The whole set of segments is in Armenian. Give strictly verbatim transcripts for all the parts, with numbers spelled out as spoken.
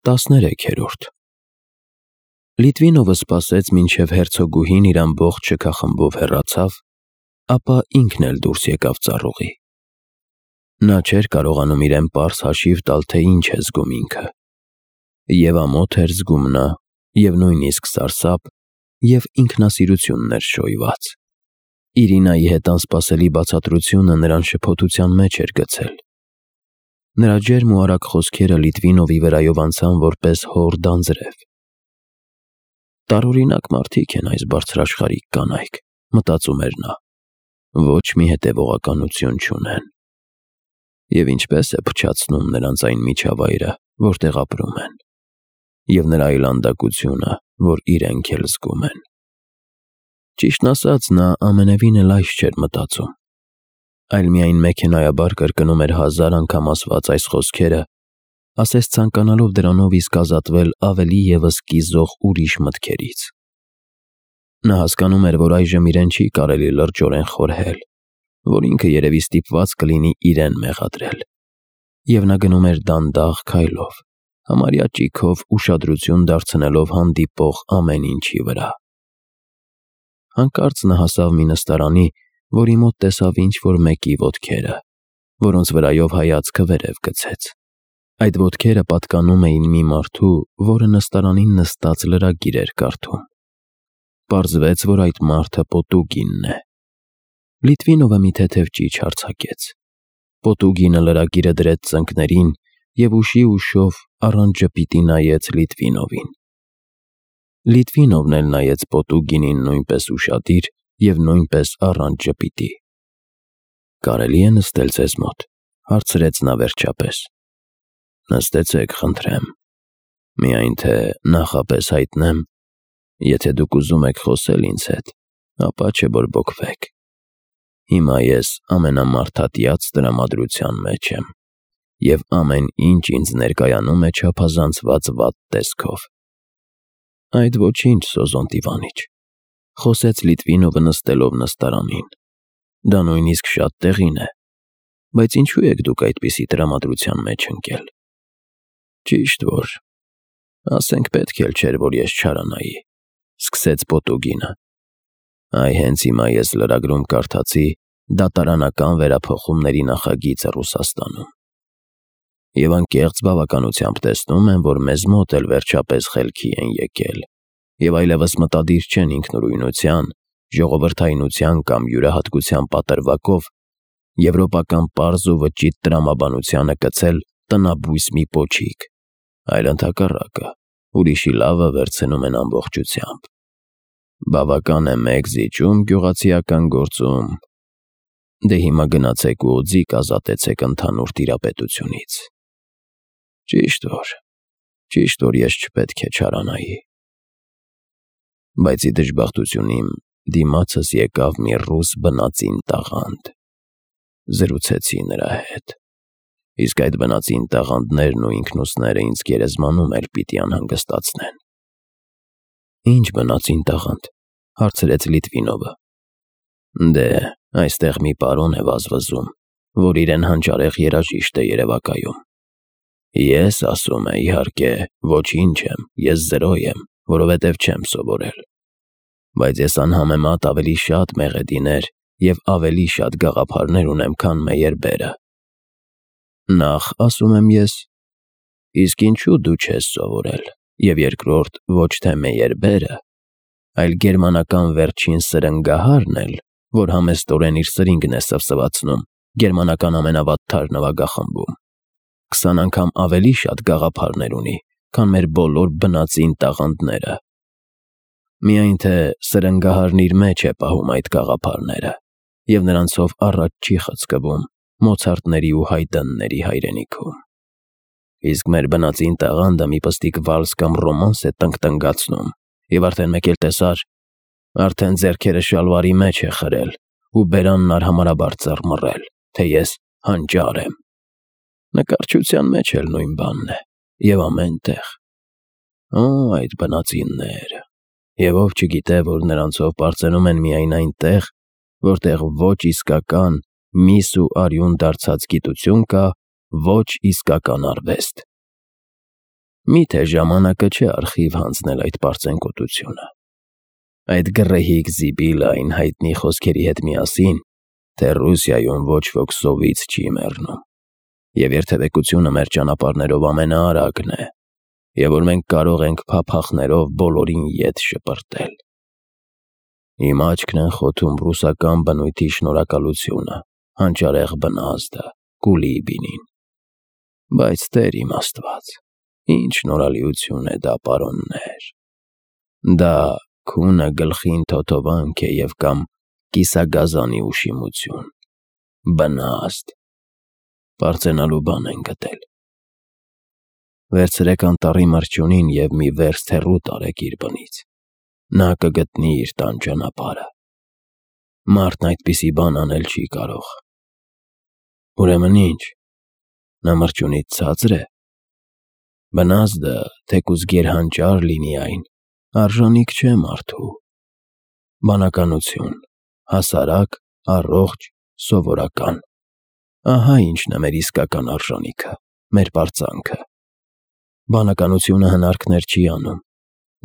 տասներեքերորդ Լիտվինովը սպասեց, մինչև հերցոգուհին իր ամբողջ շքախմբով հեռացավ, ապա ինքն էլ դուրս եկավ ծառուղի։ Նա չէր կարողանում իրեն պարզ հաշիվ տալ, թե ինչ է զգում ինքը։ Եվ ամոթ էր զգում նա, և նույնիսկ սարսափ, և ինքնասիրություն ներշոյված։ Իրինայի հետ անսպասելի բացատրությունը նրան շփոթության մեջ էր գցել։ Նրա ջերմ ու արագ խոսքերը Լիտվինովի վրայով անցան որպես հոր դանձրև։ Տարօրինակ մարդիկ են այս բարձրաշխարհիկ կանայք, մտածում էր նա, ոչ մի հետևողականություն չունեն։ Եվ ինչպես է փչացնում նրանց այն միջավայրը, որտեղ ապրում են, և նրա այլանդակությունը, որ իրենք էլ զգում են։ Ճիշտն ասած, նա ամենևին էլ այս չէր մտածում, այլ միայն մեքենայաբար կրկնում էր հազար անգամ ասված այս խոսքերը, ասես ցանկանալով դրանով իսկ ազատվել ավելի ևս կիզող ուրիշ մտքերից։ Նա հասկանում էր, որ այժմ իրեն չի կարելի լրջորեն խորհել, որ ինքը երևի ստիպված կլինի իրեն մեղադրել, և նա գնում էր դանդաղ քայլով, համարյա ճիգով ուշադրություն դարձնելով հանդիպող ամեն ինչի վրա։ Հանկարծ նա հասավ մի նստարանի, որի մոտ տեսավ ինչ-որ մեկի ոտքերը, որոնց վրայով հայացքը վերև գցեց։ Այդ ոտքերը պատկանում էին մի մարդու, որը նստարանին նստած լրագիր էր կարդում։ Պարզվեց, որ այդ մարդը Պոտուգինն է։ Լիտվինովը մի թեթև ճիչ արձակեց։ Պոտուգինը լրագիրը դրեց ծնկներին և ուշի ուշով առանց ժպիտի նայեց Լիտվինովին։ Լիտվինովն էլ նայեց Պոտուգինին նույնպես ուշադիր և նույնպես առանց ժպիտի։ «Կարելի է նստել ձեզ մոտ», հարցրեց նա վերջապես։ «Նստեցեք, խնդրեմ, միայն թե նախապես հայտնեմ, եթե դուք ուզում եք խոսել ինձ հետ, ապա չբորբոքվեք։ Հիմա ես ամենամարդատյաց տրամադրության մեջ եմ, և ամեն ինչ ինձ ներկայանում է չափազանցված վատ տեսքով»։ «Այդ ոչինչ, Սոզոնտ Իվանիչ», խոսեց Լիտվինովը նստելով նստարանին։ «Դա նույնիսկ շատ տեղին է, բայց ինչու եք դուք այդպիսի տրամադրության մեջ ընկել։ Ճիշտ որ, ասենք պետք էլ չէր, որ ես չարանայի», սկսեց Պոտուգինը։ «Այ հենց հիմա ես լրագրում կարդացի դատարանական վերափոխումների նախագիծը Ռուսաստանում, և անկեղծ բավականությամբ տեսնում եմ, որ մեզ մոտ էլ վերջապես խելքի են եկել և այլևս մտադիր չեն ինքնուրույնության, ժողովրդայնության կամ յուրահատկության պատրվակով եվրոպական պարզ ու վճիտ տրամաբանությանը կցել տնաբույս մի պոչիկ, այլ ընդհակառակը, ուրիշի լավը վերցնում են ամբողջությամբ։ Բավական է մեկ զիջում գյուղացիական գործում։ Դե հիմա գնացեք ու օձիք ազատեցեք ընդհանուր տիրապետությունից։ Ճիշտ որ, ճիշտ որ ես չպետք է չարանայի։ Բայց ի դժբախտություն իմ դիմացս եկավ մի ռուս բնածին տաղանդ։ Զրուցեցի նրա հետ, իսկ այդ բնածին տաղանդներն ու ինքնուսները ինձ գերեզմանում էլ պիտի անհանգստացնեն»։ «Ի՞նչ բնածին տաղանդ», հարցրեց Լիտվինովը։ «Դե, այստեղ մի պարոն է վազվզում, որ իրեն հանճարեղ երաժիշտ է երևակայում։ Ես, ասում է, իհարկե, ոչինչ եմ, ես զրո եմ, որովհետև չեմ սովորել։ Բայց ես անհամեմատ ավելի շատ մեղեդիներ և ավելի շատ գաղափարներ ունեմ, քան Մեյերբերը։ Նախ, ասում եմ ես, իսկ ինչու դու չես սովորել, և երկրորդ, ոչ թե Մեյերբերը, այլ գերմանական վերջին սրնգահարն էլ, որ համեստորեն իր սրինգն է սվսվացնում գերմանական ամենավատթար նվագախմբում, քսան անգամ ավելի շատ գաղափարներ ունի, քան մեր բոլոր բնածին տաղանդները։ Միայն թե սրնգահարն իր մեջ է պահում այդ գաղափարները, և նրանցով առաջ չի խցկվում Մոցարտների ու Հայդնների հայրենիքում։ Իսկ մեր բնածին տաղանդը մի պստիկ վալս կամ ռոմանս է տնկտնկացնում, և արդեն մեկ էլ տեսար, արդեն ձեռքերը շալվարի մեջ է խրել ու բերանն արհամարհաբար ծռմռել, թե ես հանճար եմ։ Նկարչության մեջ էլ նույն բանն է, և ամեն տեղ։ Օ, այդ բնածինները… Եվ ով չգիտե, որ նրանցով պարծենում են միայն այնտեղ, որտեղ ոչ իսկական միս ու արյուն դարձած գիտություն կա, ոչ իսկական արվեստ։ Միթե ժամանակը չէ արխիվ հանձնել այդ պարծենկոտությունը։ Այդ գռեհիկ զիբիլը այն հայտնի խոսքերի հետ միասին, թե Ռուսիայում ոչ ոք սովից չի մեռնում, և երթևեկությունը մեր ճանապարհներով ամենաարագն է, և որ մենք կարող ենք փափախներով բոլորին ետ շպրտել։ Իմ աչքն են խոթում ռուսական բնույթի շնորհակալությունը, հանճարեղ բնազդը, Կուլիբինին։ Բայց Տեր իմ Աստված, ինչ շնորհալիություն է դա, պարոններ։ Դա քունը գլխին թոթովանք է և կամ կիսագազանի ուշիմություն, բնազդ, պարծենալու բան են գտել։ Վերցրեք անտառի մրջյունին և մի վերստ հեռու տարեք իր բնից, նա կգտնի իր տան ճանապարհը։ Մարդն այդպիսի բան անել չի կարող։ Ուրեմն ի՞նչ, նա մրջյունից ցածր է։ Բնազդը, թեկուզ գերհանճար լինի այն, արժանիք չէ մարդու։ Բանականություն, հասարակ, առողջ, սովորական։ Ահա ինչն է մեր իսկական արժանիքը, մեր պարծանքը։ Բանականությունը հնարքներ չի անում,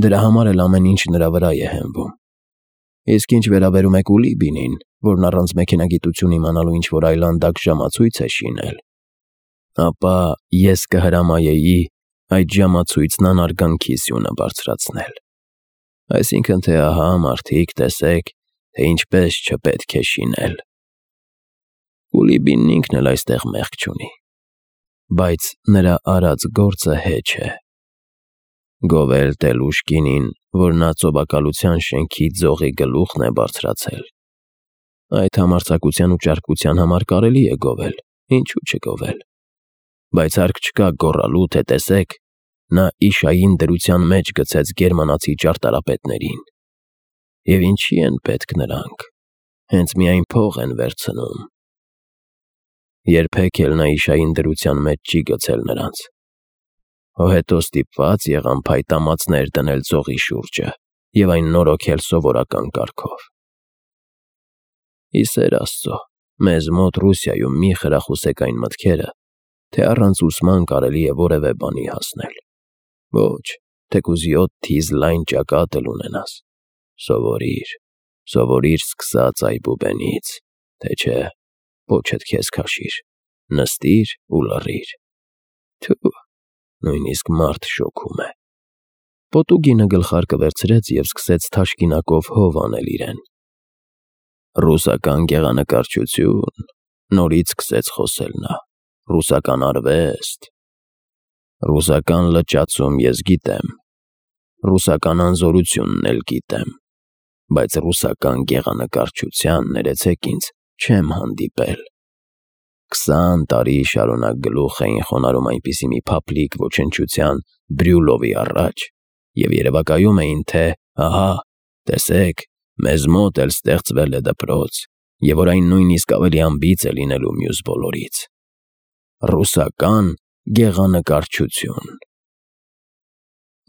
դրա համար էլ ամեն ինչ նրա վրա է հենվում։ Իսկ ինչ վերաբերում է Կուլիբինին, որն առանց մեքենագիտություն իմանալու ինչ-որ այլանդակ ժամացույց է շինել, ապա ես կհրամայեի այդ ժամացույցն անարգանքի սյունը բարձրացնել։ Այսինքն թե ահա, մարդիկ, տեսեք, թե ինչպես չպետք է շինել։ Կուլիբինն ինքն էլ այստեղ մեղք չունի, բայց նրա արած գործը հեչ է։ Գովել Տեր-Լուշկինին, որ նա ծոբակալության շենքի ձողի գլուխն է բարձրացել։ Այդ համարձակության ու ճարպկության համար կարելի է գովել, ինչու չգովել։ Բայց հարկ չկա գոռալու, թե տեսեք, նա իշային դրության մեջ գցեց գերմանացի ճարտարապետներին։ Եվ ինչի են պետք նրանք, հենց միայն փող են վերցնում։ Երբեք էլ նա իշային դրության մեջ չի գցել նրանց։ Հո հետո ստիպված եղան փայտամածներ դնել ձողի շուրջը և այն նորոգել սովորական կարգով։ Ի սեր Աստծո, մեզ մոտ Ռուսիայում մի խրախուսեք այն մտքերը, թե առանց ուսման կարելի է որևէ բանի հասնել։ Ոչ, թեկուզ յոթ թիզ լայն ճակատ էլ ունենաս։ Սովորիր, սովորիր սկսած այբուբենից, թե չէ պոչդ քեզ քաշիր, նստիր ու լռիր։ Թու, նույնիսկ մարդ շոգում է։ Պոտուգինը գլխարկը վերցրեց և սկսեց թաշկինակով հով անել իրեն։ Ռուսական գեղանկարչություն, նորից սկսեց խոսել նա, ռուսական արվեստ։ Ռուսական լճացում ես գիտեմ, ռուսական անզորությունն էլ գիտեմ, բայց ռուսական գեղանկարչության, ներեցեք ինձ, չեմ հանդիպել։ Քսան տարի շարունակ գլուխ էին խոնարհում այնպիսի մի փափլիկ ոչնչության Բրյուլովի առաջ և երևակայում էին, թե ահա, տեսեք, մեզ մոտ էլ ստեղծվել է դպրոց, և որ այն նույնիսկ ավելի անբիծ է լինելու մյուս բոլորից։ Ռուսական գեղանկարչություն։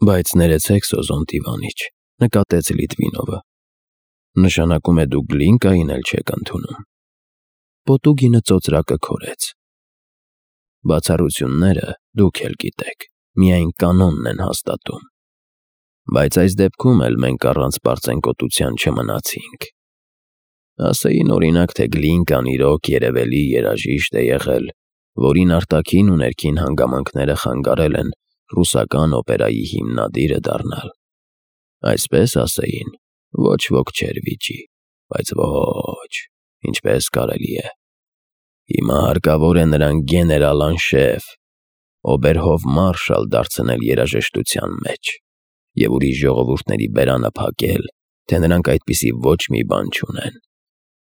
Բայց ներեցեք, Սոզոնտի Իվանիչ, նկատեց Լիտվինովը, նշանակում է դուք Գլինկային էլ չեք ընդունում։ Պոտուգինը ծոծրակը քորեց։ Բացառությունները, դուք էլ գիտեք, միայն կանոնն են հաստատում։ Բայց այս դեպքում էլ մենք առանց պարծենկոտության չմնացինք։ Ասեին օրինակ, թե Գլինկան իրոք երևելի երաժիշտ է եղել, որին արտաքին ու ներքին հանգամանքները խանգարել են ռուսական օպերայի հիմնադիրը դառնալ։ Այսպես ասեին, ոչ ոք չէր վիճի, բայց ոչ, ինչպես կարելի է։ Հիմա հարկավոր է նրան գեներալ-անշեֆ, օբերհոֆմարշալ դարձնել երաժշտության մեջ և ուրիշ ժողովուրդների բերանը փակել, թե նրանք այդպիսի ոչ մի բան չունեն։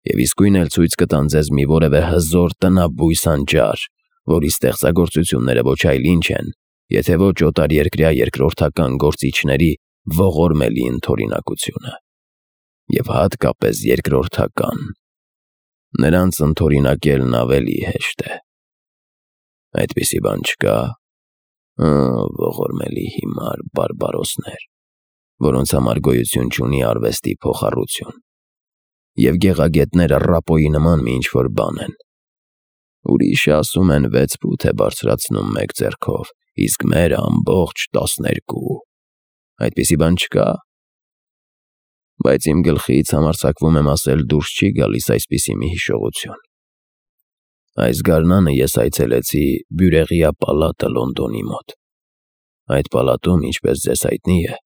Եվ իսկույն էլ ցույց կտան ձեզ մի որևէ հզոր տնաբույս անճար, որի ստեղծագործությունները ոչ այլ ինչ են, եթե ոչ օտարերկրյա երկրորդական գործիչների ողորմելի ընդօրինակությունը։ Եվ հատկապես երկրորդական։ Նրանց ընդօրինակելն ավելի հեշտ է։ Այդպիսի բան չկա։ Ահ, ողորմելի հիմար բարբարոսներ, որոնց համար գոյություն չունի արվեստի փոխառություն, և գեղագետները Ռապոյի նման մի ինչ-որ բան են։ Ուրիշը ասում են վեց ֆուտ է բարձրացնում մեկ ձեռքով, իսկ մերը ամբողջ տասներկու։ Այդպիսի բան չկա։ Բայց իմ գլխից համարձակվում եմ ասել դուրս չի գալիս այսպիսի մի հիշողություն։ Այս գարնանը ես այցելեցի Բյուրեղյա պալատը Լոնդոնի մոտ։ Այդ պալատում, ինչպես ձեզ հայտնի է,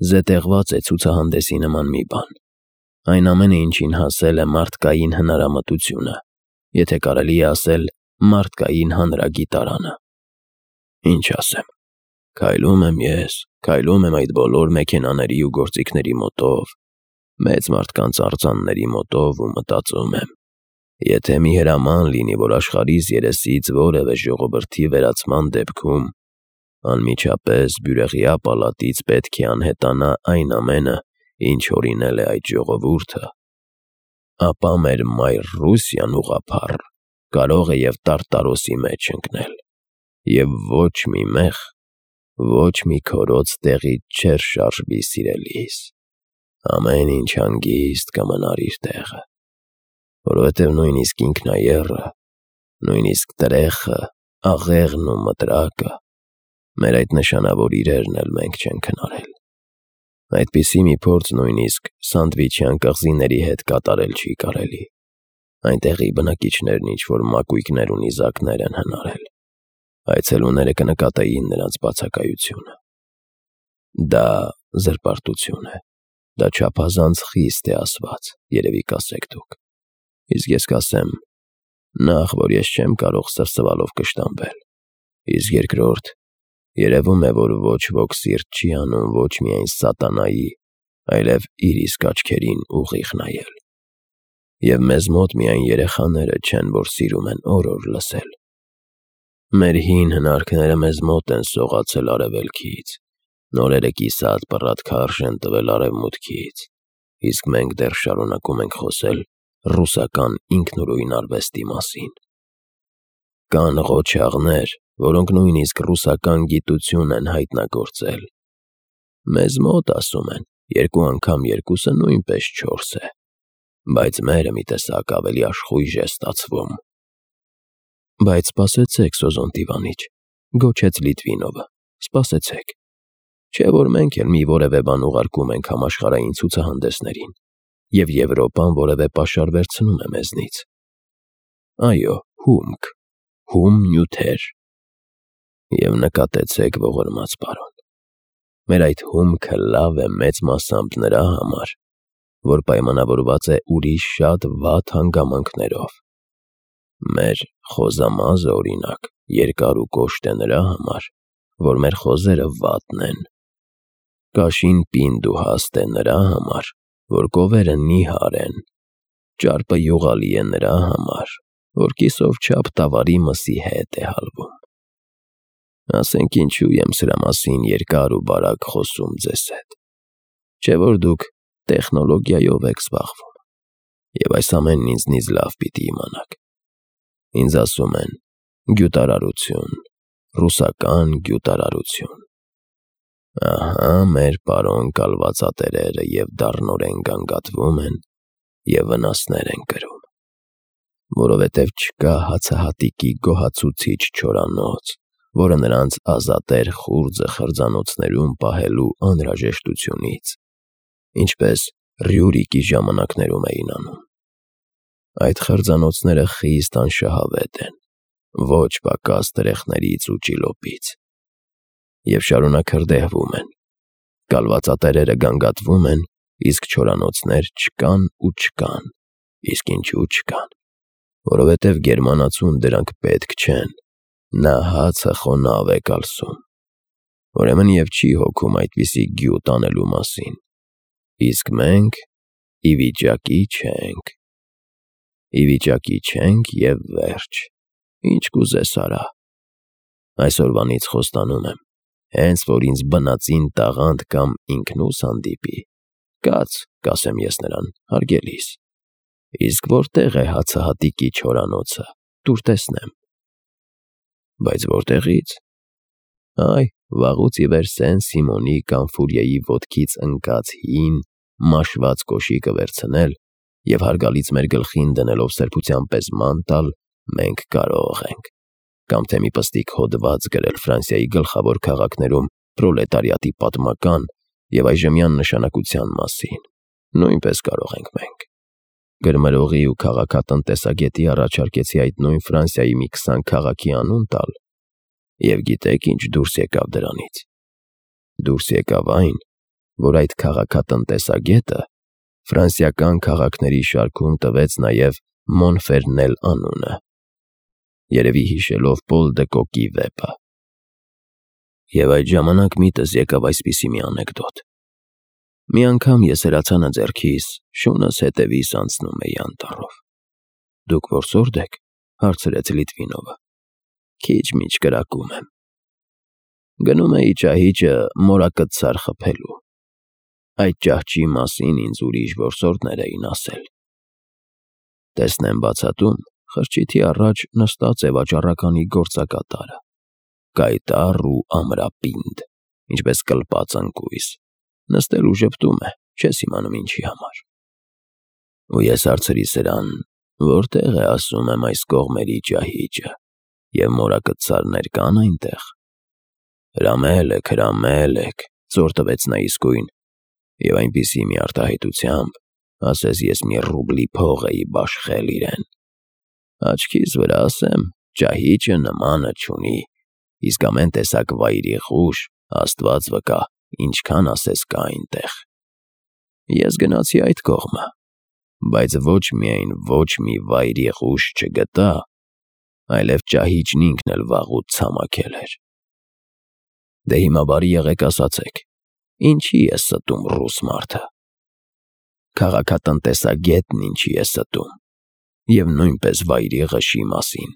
զետեղված է ցուցահանդեսի նման մի բան։ Այն ամենը, ինչին հասել է մարդկային հնարամտությունը, եթե կարելի է ասել մարդկային հանրագիտարանը։ Ինչ ասեմ, քայլում եմ ես, քայլում եմ այդ բոլոր մեքենաների ու գործիքների մոտով, մեծ մարդկանց արձանների մոտով ու մտածում եմ, եթե մի հրաման լինի, որ աշխարհիս երեսից որևէ ժողովրդի վերացման դեպքում անմիջապես Բյուրեղյա պալատից պետք է անհետանա այն ամենը, ինչ օրինել է այդ ժողովուրդը, ապա մեր մայր Ռուսիան ուղղափառ կարող է և տարտարոսի մեջ ընկնել, և ոչ մի մեղ, ոչ մի քորոծ տեղից չէր շարժվի սիրելիս, ամեն ինչ հանգիստ կմնար իր տեղը, որովհետև նույնիսկ ինքնաեռը, նույնիսկ տրեխը, աղեղն ու մտրակը, մեր այդ նշանավոր իրերն էլ մենք չենք հնարել։ Այդպիսի մի փորձ նույնիսկ Սանդվիչյան կղզիների հետ կատարել չի կարելի։ Այնտեղի բնակիչներն ինչ-որ մակույկներ ու նիզակներ են հնարել։ Այցելուները կնկատեին նրանց բացակայությունը։ Դա զրպարտություն է, դա չափազանց խիստ է ասված, երևի կասեք դուք։ Իսկ ես կասեմ, նախ, որ ես չեմ կարող սրսվալով կշտամբել, իսկ երկրորդ, երևում է, որ ոչ ոք սիրտ չի անում ոչ միայն սատանայի, այլև իր իսկ աչքերին ուղիղ նայել։ Եվ մեզ մոտ միայն երեխաները չեն, որ սիրում են օր-օր լսել։ Մեր հին հնարքները մեզ մոտ են սողացել արևելքից, նորերը կիսատ պռատ քարշ են տվել արևմուտքից, իսկ մենք դեռ շարունակում ենք խոսել ռուսական ինքնուրույն արվեստի մասին։ Կան ղոչաղներ, որոնք նույնիսկ ռուսական գիտություն են հայտնագործել։ Մեզ մոտ, ասում են, երկու անգամ երկուսը նույնպես չորս է, բայց մերը մի տեսակ ավելի աշխույժ է ստացվում։ Բայց սպասեցեք, Սոզոնտիվանիչ, գոչեց Լիտվինովը, սպասեցեք, չէ՞ որ մենք էլ մի որևէ բան ուղարկում ենք համաշխարհային ցուցահանդեսներին, և Եվրոպան որևէ պաշար վերցնում է մեզնից։ Այո, հումք, հում նյութեր։ Եվ նկատեցեք, ողորմած պարոն, մեր այդ հումքը լավ է մեծ մասամբ նրա համար, որ պայմանավորված է ուրիշ շատ վատ հանգամանքներով։ Մեր խոզամազը, օրինակ, երկար ու կոշտ է նրա համար, որ մեր խոզերը վատն են։ Կաշին պինդ ու հաստ է նրա համար, որ կովերը նիհար են։ Ճարպը յուղալի է նրա համար, որ կիսով չափ տավարի մսի հետ է հալվում։ Ասենք ինչու եմ սրա մասին երկար ու բարակ խոսում ձեզ հետ, չէ՞ որ դուք տեխնոլոգիայով եք զբաղվում, և այս ամենն ինձնից լավ պիտի իմանաք։ Ինձ ասում են գյուտարարություն, ռուսական գյուտարարություն։ Ահա մեր պարոն կալվածատերերը և դառնորեն գանգատվում են և վնասներ են կրում, որովհետև չկա հացահատիկի գոհացուցիչ չորանոց, որը նրանց ազատեր խուրձը խրձանոցներում պահելու անհրաժեշտությունից, ինչպես Ռյուրիկի ժամանակներում էին անում։ Այդ խրձանոցները խիստ անշահավետ են, ոչ պակաս տրեխներից ու ճիլոպից, և շարունակ հրդեհվում են։ Կալվածատերերը գանգատվում են, իսկ չորանոցներ չկան ու չկան, իսկ ինչու չկան, որովհետև գերմանացուն դրանք պետք չեն, նա հացը խոնավ է կալսում, ուրեմն և չի հոգում այդպիսի գյուտ անելու մասին, իսկ մենք ի վիճակի չենք։ Ի վիճակի չենք և վերջ, ինչ կուզես արա։ Այսօրվանից խոստանում եմ, հենց որ ինձ բնածին տաղանդ կամ ինքնուս հանդիպի, կաց, կասեմ ես նրան, հարգելիս, իսկ որտե՞ղ է հացահատիկի չորանոցը, տուր տեսնեմ։ Բայց որտեղի՞ց։ Այ, վաղուց ի վեր Սեն-Սիմոնի կամ Ֆուրիեի ոտքից ընկած հին, մաշված կոշիկը վերցնել և հարգալից մեր գլխին դնելով սրբության պես ման տալ մենք կարող ենք, կամ թե մի պստիկ հոդված գրել Ֆրանսիայի գլխավոր քաղաքներում պրոլետարիատի պատմական և այժմյան նշանակության մասին, նույնպես կարող ենք մենք։ Գրմրողի ու քաղաքատնտեսագետի առաջարկեցի այդ նույն Ֆրանսիայի մի քսան քաղաքի անուն տալ, և գիտեք ինչ դուրս եկավ դրանից։ Դուրս եկավ այն, որ այդ քաղաքատնտեսագետը ֆրանսիական քաղաքների շարքում տվեց նաև Մոնֆերնել անունը, երևի հիշելով Պոլ դը Կոկի վեպը։ Եվ այդ ժամանակ միտս եկավ այսպիսի մի անեկդոտ. մի անգամ ես հրացանը ձեռքիս, շունս հետևիս անցնում էի անտառով։ «Դուք որսորդ եք», հարցրեց Լիտվինովը։ «Քիչ-միչ կրակում եմ»։ Գնում էի ճահիճը մորակցար խփելու։ Այդ ճահճի մասին ինձ ուրիշ որսորդներ էին ասել։ Տեսնեմ բացատում, խրճիթի առաջ նստած է վաճառականի գործակատարը, կայտառ ու ամրապինդ, ինչպես կլպած ընկույզ, նստել ու ժպտում է, չես իմանում ինչի համար։ Ու ես հարցրի սրան, որտեղ է, ասում եմ, այս կողմերի ճահիճը, և մորակցարներ կան այնտեղ։ Հրամել եք, հրամել եք, ծոր տվեց նա իսկույն, և այնպիսի մի արտահայտությամբ, ասես ես մի ռուբլի փող էի բաշխել իրեն։ Աչքիս վրա ասեմ, ճահիճը նմանը չունի, իսկ ամեն տեսակ վայրի խուժ, Աստված վկա, ինչքան ասես կա այնտեղ։ Ես գնացի այդ կողմը, բայց ոչ միայն ոչ մի վայրի խուժ չգտա, այլև ճահիճն ինքն էլ վաղուց ցամաքել էր։ Դե հիմա բարի եղեք ասացեք, ինչի է ստում ռուս մարդը։ Քաղաքատնտեսագետն ինչի է ստում, և նույնպես վայրի ղշի մասին։